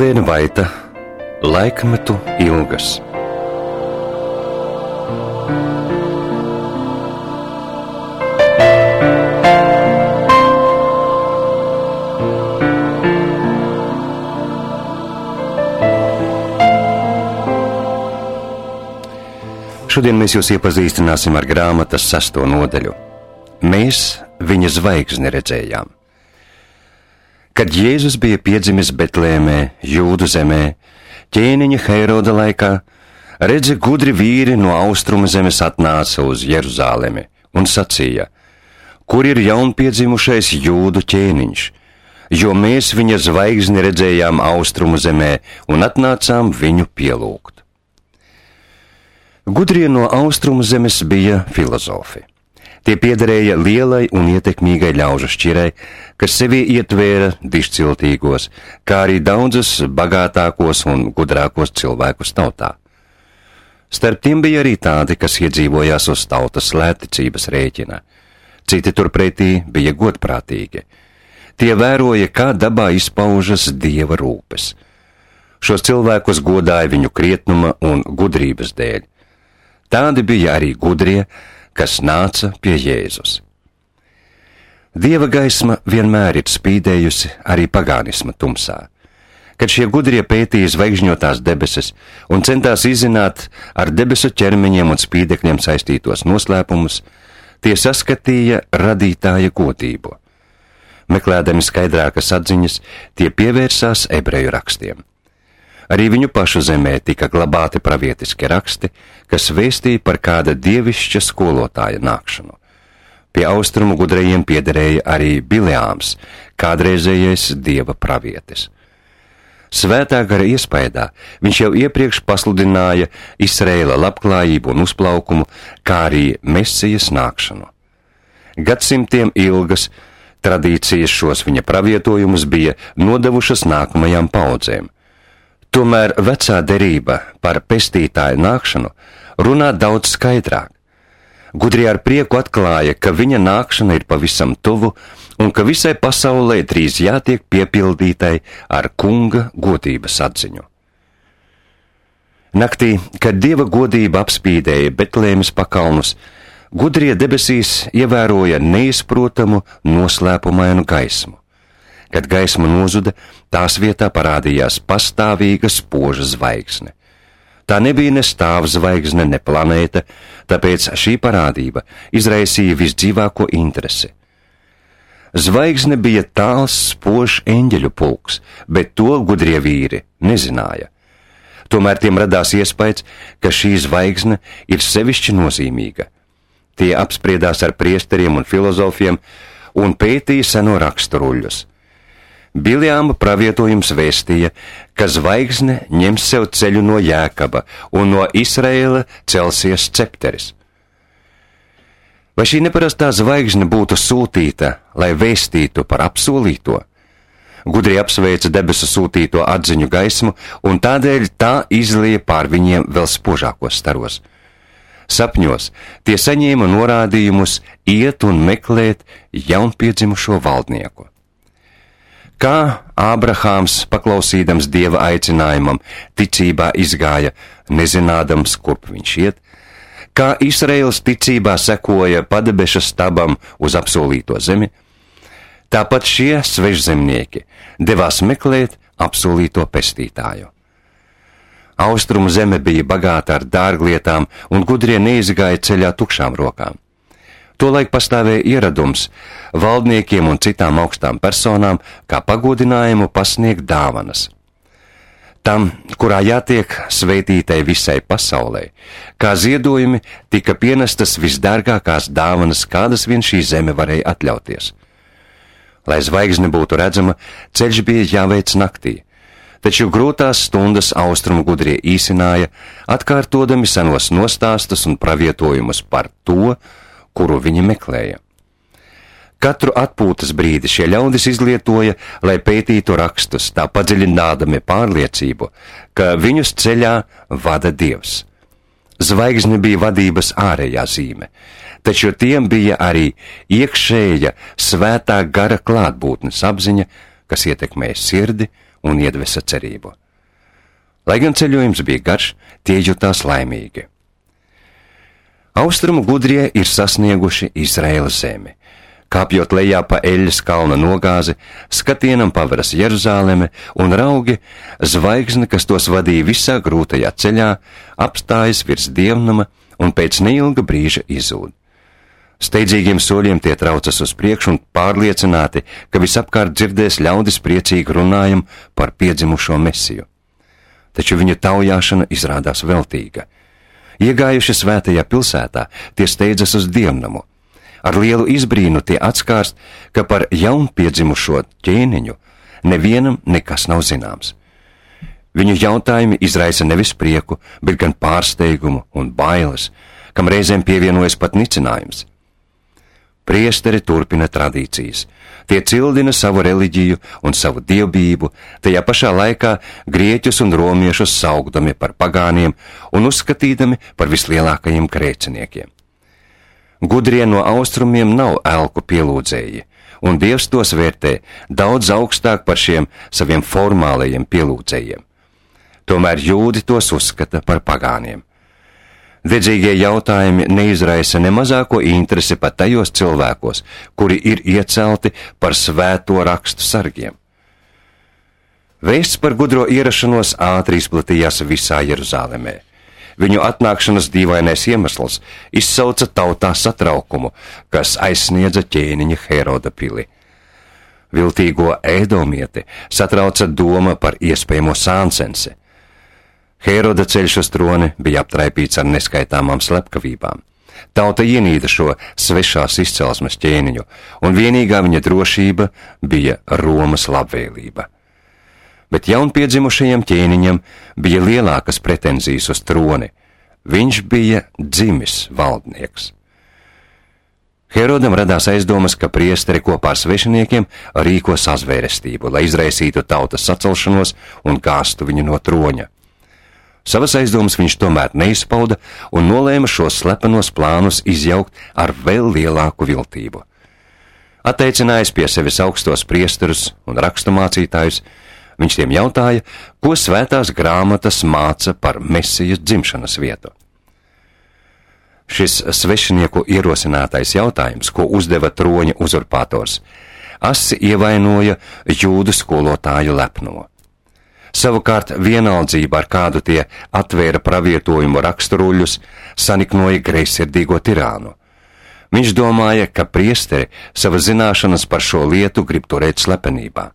Helēna Vaita, Laikmetu ilgas. Šodien mēs jūs iepazīstināsim ar grāmatas 6. nodaļu. Mēs viņa zvaigzni redzējām. Kad Jēzus bija piedzimis Betlēmē, Jūdu zemē, ķēniņa Heroda laikā, redzi, gudri vīri no austrumu zemes atnāca uz Jeruzālemi un sacīja: kur ir jaunpiedzimušais Jūdu ķēniņš, jo mēs viņa zvaigzni redzējām austrumu zemē un atnācām viņu pielūgt. Gudrie no austrumu zemes bija filozofi. Tie piederēja lielai un ietekmīgai ļaužu šķirai, kas sevī ietvēra dišciltīgos, kā arī daudzus bagātākos un gudrākos cilvēkus tautā. Starp tiem bija arī tādi, kas iedzīvojās uz tautas lētticības rēķina. Citi turpretī bija godprātīgi. Tie vēroja, kā dabā izpaužas Dieva rūpes. Šos cilvēkus godāja viņu krietnuma un gudrības dēļ. Tādi bija arī gudrie, kas nāca pie Jēzus. Dieva gaisma vienmēr ir spīdējusi arī pagānisma tumsā. Kad šie gudrie pētīja zvaigžņotās debesis un centās izzināt ar debesu ķermeņiem un spīdekļiem saistītos noslēpumus, tie saskatīja radītāja godību. Meklēdami skaidrākas atziņas, tie pievērsās ebreju rakstiem. Arī viņu pašu zemē tika glabāti pravietiski raksti, kas vēstīja par kāda dievišķa skolotāja nākšanu. Pie austrumu gudrajiem piederēja arī Bileāms, kādreizējais dieva pravietis. Svētā gara iespaidā viņš jau iepriekš pasludināja Izraēla labklājību un uzplaukumu, kā arī Mesijas nākšanu. Gadsimtiem ilgas tradīcijas šos viņa pravietojumus bija nodevušas nākamajām paudzēm. Tomēr vecā derība par pestītāju nākšanu runā daudz skaidrāk. Gudrie ar prieku atklāja, ka viņa nākšana ir pavisam tuvu un ka visai pasaulē drīz jātiek piepildītai ar kunga godības atziņu. Naktī, kad Dieva godība apspīdēja Betlēmes pakalnus, gudrie debesīs ievēroja neizprotamu noslēpumainu gaismu. Kad gaisma nozuda, tās vietā parādījās pastāvīga spoža zvaigzne. Tā nebija ne stāvzvaigzne, ne planēta, tāpēc šī parādība izraisīja visdzīvāko interesi. Zvaigzne bija tāls, spožs eņģeļu pulks, bet to gudrie vīri nezināja. Tomēr tiem radās iespējas, ka šī zvaigzne ir sevišķi nozīmīga. Tie apspriedās ar priesteriem un filozofiem un pētīja seno raksturuļus. Bileāma pravietojums vēstīja, ka zvaigzne ņems sev ceļu no Jēkaba un no Izraēla celsies cepteris. Vai šī neparastā zvaigzne būtu sūtīta, lai vēstītu par apsolīto? Gudrie apsveica debesu sūtīto atziņu gaismu, un tādēļ tā izlieja pār viņiem vēl spožākos staros. Sapņos tie saņēma norādījumus iet un meklēt jaunpiedzimušo valdnieku. Kā Ābrahāms, paklausīdams Dieva aicinājumam, ticībā izgāja, nezinādams, kurp viņš iet, kā Izraēls ticībā sekoja padebeša stabam uz apsolīto zemi, tāpat šie svežzemnieki devās meklēt apsolīto pestītāju. Austrumu zeme bija bagāta ar dārglietām, un gudrie neizgāja ceļā tukšām rokām. Tolaik pastāvēja ieradums valdniekiem un citām augstām personām, kā pagodinājumu pasniegt dāvanas. Tam, kurā jātiek svētītai visai pasaulē, kā ziedojumi tika pienestas visdārgākās dāvanas, kādas vien šī zeme varēja atļauties. Lai zvaigzne būtu redzama, ceļš bija jāveic naktī, taču grūtās stundas austrumu gudrie īsināja, atkārtodami senos nostāstus un pravietojumus par to, kuru viņi meklēja. Katru atpūtas brīdi šie ļaudis izlietoja, lai pētītu rakstus, tā padziļinādami pārliecību, ka viņus ceļā vada Dievs. Zvaigzne bija vadības ārējā zīme, taču tiem bija arī iekšēja svētā gara klātbūtnes apziņa, kas ietekmēja sirdi un iedvesa cerību. Lai gan ceļojums bija garš, tie jutās laimīgi. Austrumu gudrie ir sasnieguši Izraēlas zemi. Kāpjot lejā pa Eļas kalna nogāzi, skatienam paveras Jeruzāleme un raugi, zvaigzne, kas tos vadīja visā grūtajā ceļā, apstājas virs dievnama un pēc neilga brīža izzūd. Steidzīgiem soļiem tie traucas uz priekšu un pārliecināti, ka visapkārt dzirdēs ļaudis priecīgi runājumu par piedzimušo Mesiju. Taču viņu taujāšana izrādās veltīga. Iegājuši svētajā pilsētā, tie steidzas uz dievnamu. Ar lielu izbrīnu tie atskārst, ka par jaunpiedzimušo ķēniņu nevienam nekas nav zināms. Viņu jautājumi izraisa nevis prieku, bet gan pārsteigumu un bailes, kam reizēm pievienojas pat nicinājums. Priesteri turpina tradīcijas. Tie cildina savu reliģiju un savu dievbijību, tajā pašā laikā grieķus un romiešus saukdami par pagāniem un uzskatīdami par vislielākajiem grēciniekiem. Gudrie no austrumiem nav elku pielūdzēji, un Dievs tos vērtē daudz augstāk par šiem saviem formālajiem pielūdzējiem. Tomēr jūdi tos uzskata par pagāniem. Dedzīgie jautājumi neizraisa ne mazāko interesi pat tajos cilvēkos, kuri ir iecelti par svēto rakstu sargiem. Vēsts par gudro ierašanos ātri izplatījās visā Jeruzālemē. Viņu atnākšanas dīvainais iemesls izsauca tautā satraukumu, kas aizsniedza ķēniņa Heroda pili. Viltīgo ēdomieti satrauca doma par iespējamo sāncensi. Heroda ceļš uz troni bija aptraipīts ar neskaitāmām slepkavībām. Tauta ienīda šo svešās izcelsmes ķēniņu, un vienīgā viņa drošība bija Romas labvēlība. Bet jaunpiedzimušajam ķēniņam bija lielākas pretenzijas uz troni. Viņš bija dzimis valdnieks. Herodam radās aizdomas, ka priesteri kopā ar svešiniekiem rīko sazvērestību, lai izraisītu tautas sacelšanos un gāstu viņu no troņa. Savas aizdomas viņš tomēr neizpauda un nolēma šos slepenos plānus izjaukt ar vēl lielāku viltību. Atteicinājis pie sevis augstos priesterus un raksturmācītājus, viņš tiem jautāja, ko svētās grāmatas māca par Mesijas dzimšanas vietu. Šis svešinieku ierosinātais jautājums, ko uzdeva troņa uzurpators, asi ievainoja jūdu skolotāju lepnumu. Savukārt vienaldzība, ar kādu tie atvēra pravietojumu raksturuļus, saniknoja greizsirdīgo tirānu. Viņš domāja, ka priesteri savas zināšanas par šo lietu grib turēt slepenībā.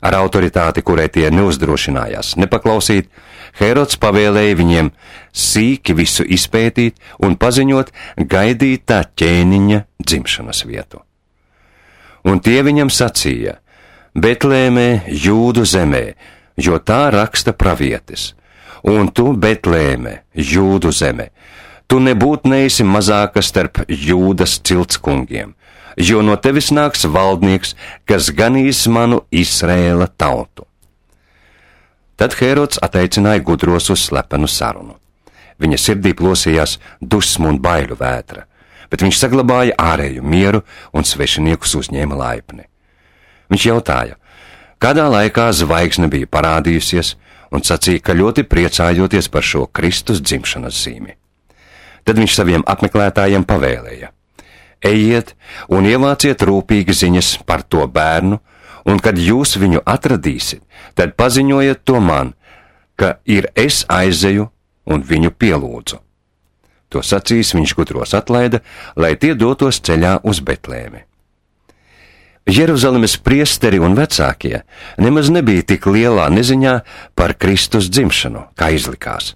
Ar autoritāti, kurai tie neuzdrošinājās nepaklausīt, Herods pavēlēja viņiem sīki visu izpētīt un paziņot gaidītā ķēniņa dzimšanas vietu. Un tie viņam sacīja: Betlēmē, Jūdu zemē, jo tā raksta pravietis, un tu, Betlēme, Jūdu zeme, tu nebūt neesi mazāka starp Jūdas ciltskungiem, jo no tevis nāks valdnieks, kas ganīs manu Izraēla tautu. Tad Herods ateicināja gudros uz slepenu sarunu. Viņa sirdī plosījās dusmu un baiļu vētra, bet viņš saglabāja ārēju mieru un svešiniekus uzņēma laipni. Viņš jautāja, kādā laikā zvaigzne bija parādījusies, un sacīja, ka ļoti priecājoties par šo Kristus dzimšanas zīmi. Tad viņš saviem apmeklētājiem pavēlēja: ejiet un ievāciet rūpīgi ziņas par to bērnu, un kad jūs viņu atradīsiet, tad paziņojiet to man, ka ir es aizeju un viņu pielūdzu. To sacījis, viņš gudros atlaida, lai tie dotos ceļā uz Betlēmi. Jeruzalemes priesteri un vecākie nemaz nebija tik lielā neziņā par Kristus dzimšanu, kā izlikās.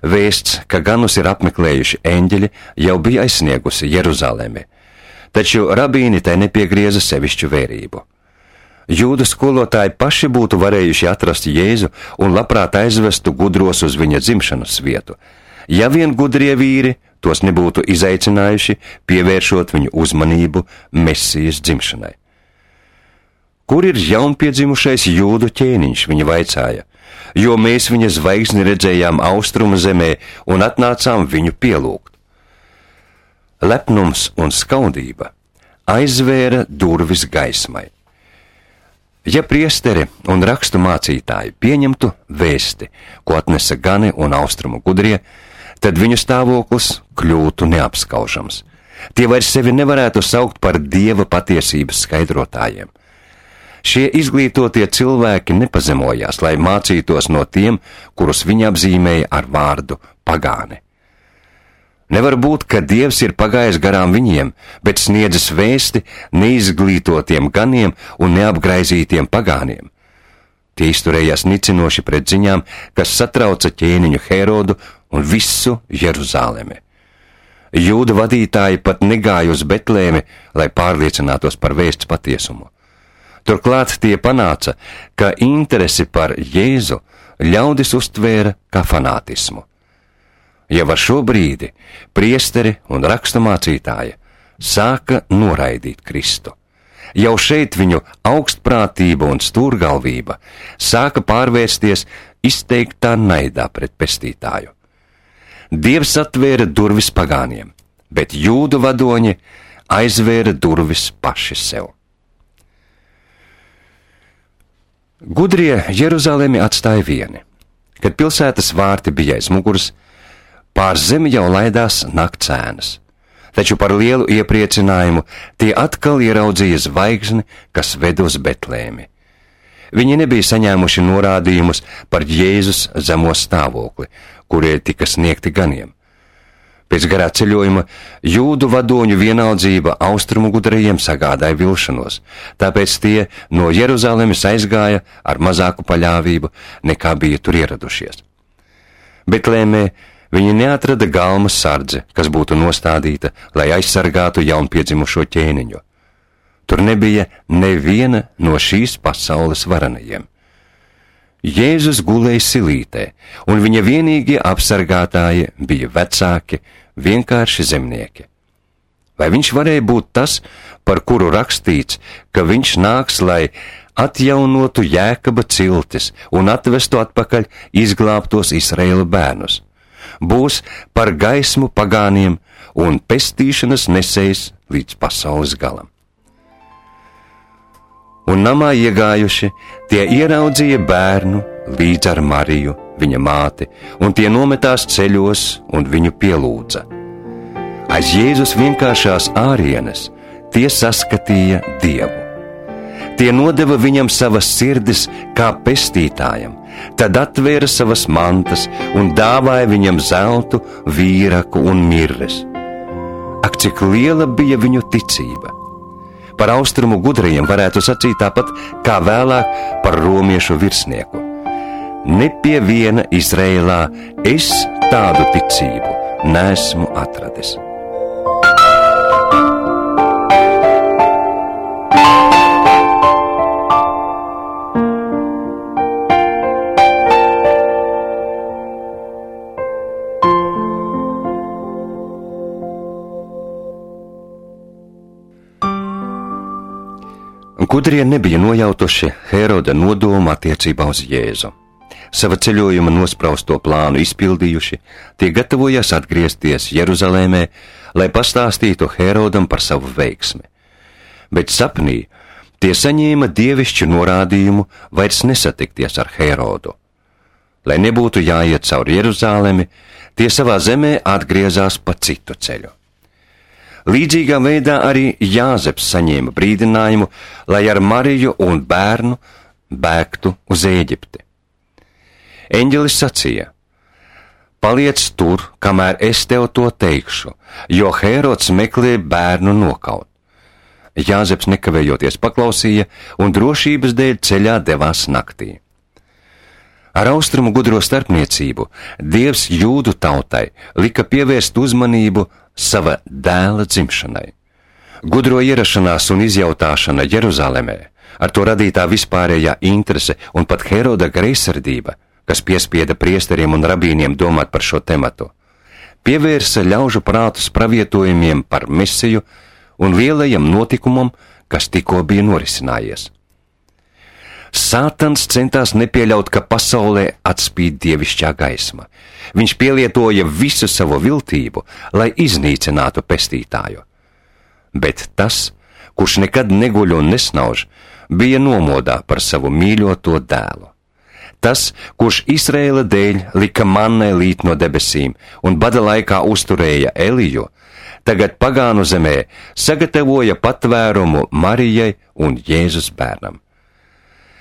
Vēsts, ka ganus ir apmeklējuši eņģeļi, jau bija aizsniegusi Jeruzalemi, taču rabīni tai nepiegrieza sevišķu vērību. Jūdu skolotāji paši būtu varējuši atrast Jēzu un labprāt aizvestu gudros uz viņa dzimšanas vietu, ja vien gudrie vīri tos nebūtu izaicinājuši, pievēršot viņu uzmanību Mesijas dzimšanai. Kur ir jaunpiedzimušais jūdu ķēniņš, viņi vaicāja, jo mēs viņa zvaigzni redzējām austrumu zemē un atnācām viņu pielūgt. Lepnums un skaudība aizvēra durvis gaismai. Ja priesteri un rakstu mācītāji pieņemtu vēsti, ko atnesa Gani un austrumu gudrie, tad viņu stāvoklis kļūtu neapskaužams. Tie vairs sevi nevarētu saukt par Dieva patiesības skaidrotājiem. Šie izglītotie cilvēki nepazemojās, lai mācītos no tiem, kurus viņi apzīmēja ar vārdu pagāni. Nevar būt, ka Dievs ir pagājis garām viņiem, bet sniedzis vēsti neizglītotiem ganiem un neapgraizītiem pagāniem. Tie izturējās nicinoši pret ziņām, kas satrauca ķēniņu Herodu un visu Jeruzalemi. Jūda vadītāji pat negāja uz Betlēmi, lai pārliecinātos par vēsts patiesumu. Turklāt tie panāca, ka interesi par Jēzu ļaudis uztvēra kā fanātismu. Jau ar šo brīdi priesteri un raksturmācītāji sāka noraidīt Kristu. Jau šeit viņu augstprātība un stūrgalvība sāka pārvērsties izteiktā naidā pret pestītāju. Dievs atvēra durvis pagāniem, bet jūdu vadoņi aizvēra durvis paši sev. Gudrie Jeruzalemi atstāja vieni. Kad pilsētas vārti bija aiz muguras, pār zemi jau laidās naktsēnas, taču par lielu iepriecinājumu tie atkal ieraudzīja zvaigzni, kas ved uz Betlēmi. Viņi nebija saņēmuši norādījumus par Jēzus zemo stāvokli, kurie tika sniegti ganiem. Pēc garā ceļojuma jūdu vadoņu vienaldzība austrumu gudrajiem sagādāja vilšanos, tāpēc tie no Jeruzalemes aizgāja ar mazāku paļāvību, nekā bija tur ieradušies. Betlēmē viņi neatrada galmas sardze, kas būtu nostādīta, lai aizsargātu jaunpiedzimušo ķēniņu. Tur nebija neviena no šīs pasaules varenajiem. Jēzus gulēja silītē, un viņa vienīgie apsargātāji bija vecāki, vienkārši zemnieki. Vai viņš varēja būt tas, par kuru rakstīts, ka viņš nāks, lai atjaunotu Jēkaba ciltis un atvestu atpakaļ izglābtos Izraēla bērnus? Būs par gaismu pagāniem un pestīšanas nesējs līdz pasaules galam. Un namā iegājuši, tie ieraudzīja bērnu līdz ar Mariju, viņa māti, un tie nometās ceļos un viņu pielūdza. Aiz Jēzus vienkāršās ārienes tie saskatīja Dievu. Tie nodeva viņam savas sirdis kā pestītājam, tad atvēra savas mantas un dāvāja viņam zeltu, vīraku un mirres. Ak, cik liela bija viņu ticība! Par austrumu gudrajiem varētu sacīt tāpat, kā vēlāk par romiešu virsnieku. Ne pie viena Izrēlā es tādu ticību neesmu atradis. Gudrie nebija nojautuši Heroda nodomu attiecībā uz Jēzu. Sava ceļojuma nosprausto plānu izpildījuši, tie gatavojās atgriezties Jeruzalēmē, lai pastāstītu Herodam par savu veiksmi. Bet sapnī tie saņēma dievišķu norādījumu vairs nesatikties ar Herodu. Lai nebūtu jāiet cauri Jeruzalemi, tie savā zemē atgriezās pa citu ceļu. Līdzīgā veidā arī Jāzeps saņēma brīdinājumu, lai ar Mariju un bērnu bēgtu uz Ēģipti. Eņģelis sacīja: paliec tur, kamēr es tev to teikšu, jo Herods meklē bērnu nokaut. Jāzeps nekavējoties paklausīja un drošības dēļ ceļā devās naktī. Ar austrumu gudro starpniecību Dievs jūdu tautai lika pievērst uzmanību sava dēla dzimšanai. Gudro ierašanās un izjautāšana Jeruzalemē, ar to radītā vispārējā interese un pat Heroda greizsirdība, kas piespieda priesteriem un rabīniem domāt par šo tematu, pievērsa ļaužu prātus pravietojumiem par Mesiju un lielajam notikumam, kas tikko bija norisinājies. Sātans centās nepieļaut, ka pasaulē atspīd dievišķā gaisma. Viņš pielietoja visu savu viltību, lai iznīcinātu pestītāju. Bet tas, kurš nekad neguļ un nesnauž, bija nomodā par savu mīļoto dēlu. Tas, kurš Izraēla dēļ lika mannai līt no debesīm un bada laikā uzturēja Eliju, tagad pagānu zemē sagatavoja patvērumu Marijai un Jēzus bērnam.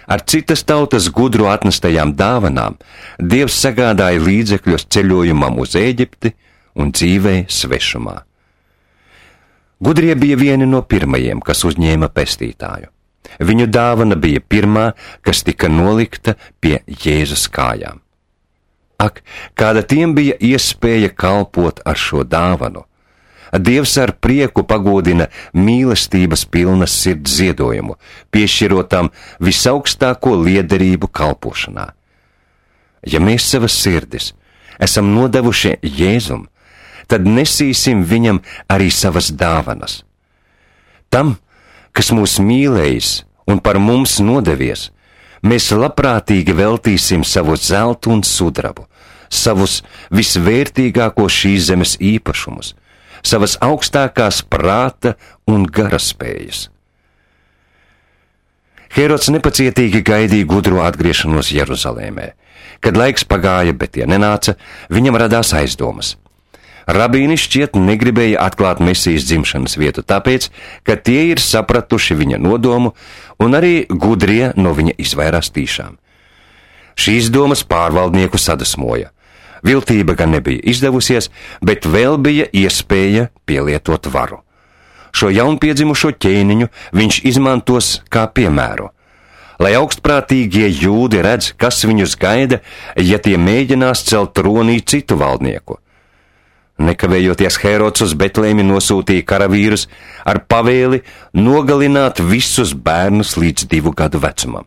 Ar citas tautas gudru atnestajām dāvanām Dievs sagādāja līdzekļus ceļojumam uz Ēģipti un dzīvei svešumā. Gudrie bija vieni no pirmajiem, kas uzņēma pestītāju. Viņu dāvana bija pirmā, kas tika nolikta pie Jēzus kājām. Ak, kāda tiem bija iespēja kalpot ar šo dāvanu! Dievs ar prieku pagodina mīlestības pilnas sirds ziedojumu, piešķirotam visaugstāko liederību kalpošanā. Ja mēs savas sirdis esam nodevuši Jēzum, tad nesīsim viņam arī savas dāvanas. Tam, kas mūs mīlējis un par mums nodevies, mēs labprātīgi veltīsim savu zeltu un sudrabu, savus visvērtīgākos šīs zemes īpašumus, savas augstākās prāta un garaspējas. Herods nepacietīgi gaidīja gudro atgriešanos Jeruzalēmē. Kad laiks pagāja, bet tie nenāca, viņam radās aizdomas. Rabīni šķiet negribēja atklāt Mesijas dzimšanas vietu, tāpēc, ka tie ir sapratuši viņa nodomu, un arī gudrie no viņa izvairās tīšām. Šīs domas pārvaldnieku sadusmoja. Viltība gan nebija izdevusies, bet vēl bija iespēja pielietot varu. Šo jaunpiedzimušo ķēniņu viņš izmantos kā piemēru, lai augstprātīgie jūdi redz, kas viņus gaida, ja tie mēģinās celt tronī citu valdnieku. Nekavējoties Herods uz Betlēmi nosūtīja karavīrus ar pavēli nogalināt visus bērnus līdz 2 gadu vecumam.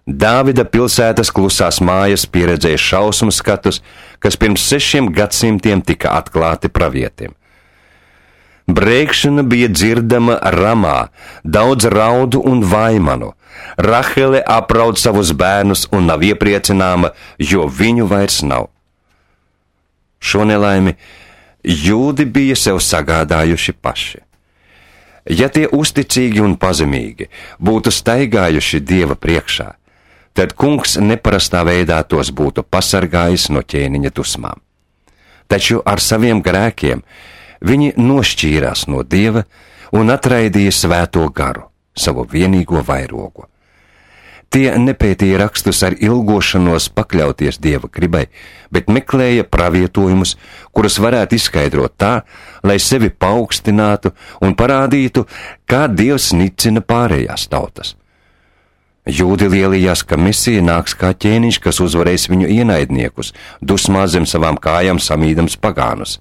Dāvida pilsētas klusās mājas pieredzēja šausmu skatus, kas pirms 6 gadsimtiem tika atklāti pravietim. Brēkšana bija dzirdama Ramā, daudz raudu un vaimanu. Rahele apraud savus bērnus un nav iepriecināma, jo viņu vairs nav. Šo nelaimi jūdi bija sev sagādājuši paši. Ja tie uzticīgi un pazemīgi būtu staigājuši Dieva priekšā, tad kungs neparastā veidā tos būtu pasargājis no ķēniņa dusmām. Taču ar saviem grēkiem viņi nošķīrās no Dieva un atraidīja svēto garu, savu vienīgo vairogu. Tie nepētīja rakstus ar ilgošanos pakļauties Dieva gribai, bet meklēja pravietojumus, kurus varētu izskaidrot tā, lai sevi paaugstinātu un parādītu, kā Dievs nicina pārējās tautas. Jūdi lielījās, ka Mesija nāks kā ķēniņš, kas uzvarēs viņu ienaidniekus, dusmā zem savām kājām samīdams pagānus.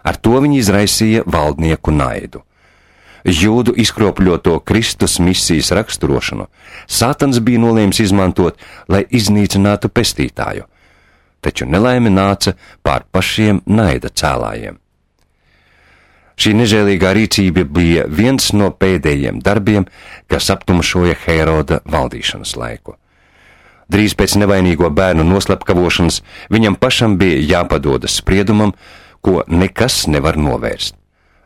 Ar to viņi izraisīja valdnieku naidu. Jūdu izkropļoto Kristus misijas raksturošanu Sātans bija nolēmis izmantot, lai iznīcinātu pestītāju, taču nelaime nāca pār pašiem naida cēlājiem. Šī nežēlīgā rīcība bija viens no pēdējiem darbiem, kas aptumšoja Heroda valdīšanas laiku. Drīz pēc nevainīgo bērnu noslepkavošanas viņam pašam bija jāpadodas spriedumam, ko nekas nevar novērst.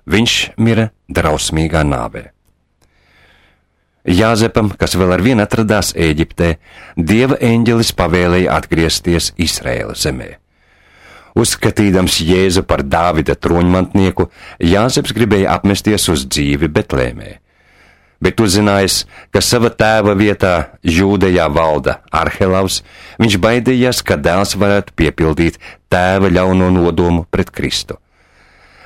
Viņš mira drausmīgā nāvē. Jāzepam, kas vēl ar vienu atradās Ēģiptē, Dieva eņģelis pavēlēja atgriezties Izraēla zemē. Uzskatīdams Jēzu par Dāvida troņmantnieku, Jāzeps gribēja apmesties uz dzīvi Betlēmē. Bet uzzinājis, ka sava tēva vietā Jūdejā valda Arhelavs, viņš baidījās, ka dēls varētu piepildīt tēva ļauno nodomu pret Kristu.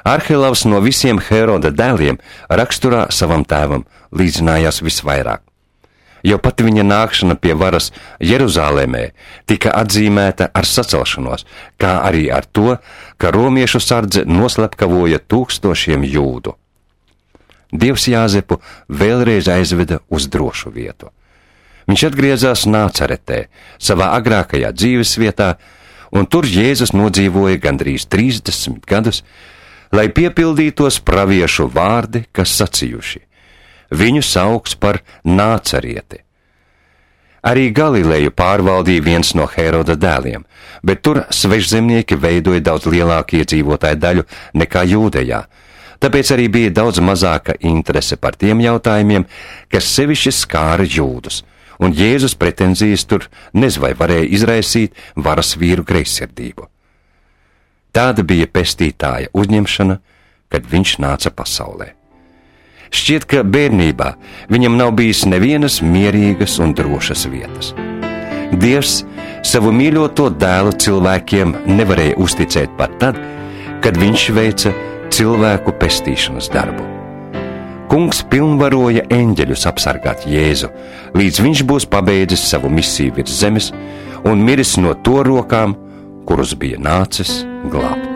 Arhelavs no visiem Heroda dēliem raksturā savam tēvam līdzinājās visvairāk. Jau pati viņa nākšana pie varas Jeruzālēmē tika atzīmēta ar sacelšanos, kā arī ar to, ka romiešu sardze noslepkavoja 1000 jūdu. Dievs Jāzepu vēlreiz aizveda uz drošu vietu. Viņš atgriezās Nācaretē, savā agrākajā dzīves vietā, un tur Jēzus nodzīvoja gandrīz 30 gadus, lai piepildītos praviešu vārdi, kas sacījuši: viņu sauks par Nācarieti. Arī Galileju pārvaldīja viens no Heroda dēliem, bet tur svešzemnieki veidoja daudz lielāku iedzīvotāju daļu nekā Jūdejā. Tāpēc arī bija daudz mazāka interese par tiem jautājumiem, kas sevišķi skāra jūdus, un Jēzus pretenzijas tur nezinu vai varēja izraisīt varas vīru greizsirdību. Tāda bija pestītāja uzņemšana, kad viņš nāca pasaulē. Šķiet, ka bērnībā viņam nav bijis nevienas mierīgas un drošas vietas. Dievs savu mīļoto dēlu cilvēkiem nevarēja uzticēt pat tad, kad viņš veica cilvēku pestīšanas darbu. Kungs pilnvaroja eņģeļus apsargāt Jēzu, līdz viņš būs pabeidzis savu misiju virs zemes un miris no to rokām, kurus bija nācis glābt.